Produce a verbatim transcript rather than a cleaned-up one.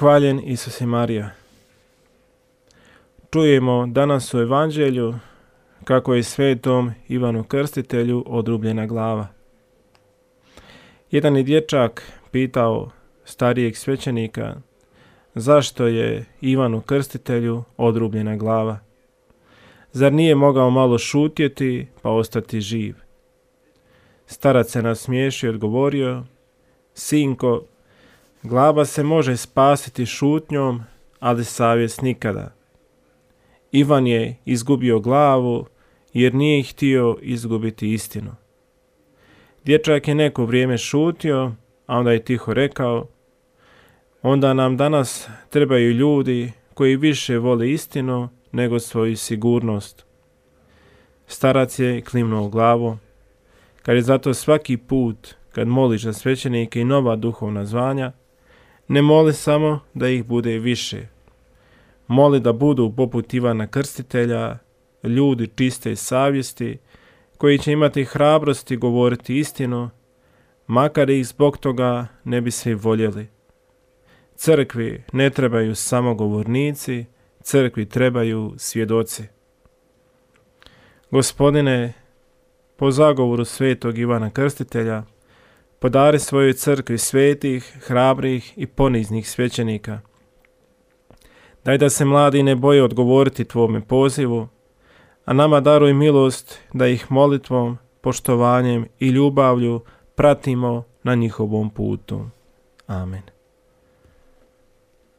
Hvaljen Isus i Marija. Čujemo danas u Evanđelju kako je svetom Ivanu Krstitelju odrubljena glava. Jedan je dječak pitao starijeg svećenika zašto je Ivanu Krstitelju odrubljena glava. Zar nije mogao malo šutjeti pa ostati živ? Starac se nasmiješio i odgovorio: Sinko, glava se može spasiti šutnjom, ali savjest nikada. Ivan je izgubio glavu jer nije htio izgubiti istinu. Dječak je neko vrijeme šutio, a onda je tiho rekao: onda nam danas trebaju ljudi koji više vole istinu nego svoju sigurnost. Starac je klimnuo glavu. Kad je zato svaki put kad moliš za svećenike i nova duhovna zvanja, ne moli samo da ih bude više. Moli da budu poput Ivana Krstitelja, ljudi čiste savjesti, koji će imati hrabrosti govoriti istinu, makar ih zbog toga ne bi svi voljeli. Crkvi ne trebaju samo govornici, crkvi trebaju svjedoci. Gospodine, po zagovoru svetog Ivana Krstitelja, podari svojoj crkvi svetih, hrabrih i poniznih svećenika. Daj da se mladi ne boje odgovoriti tvome pozivu, a nama daruj milost da ih molitvom, poštovanjem i ljubavlju pratimo na njihovom putu. Amen.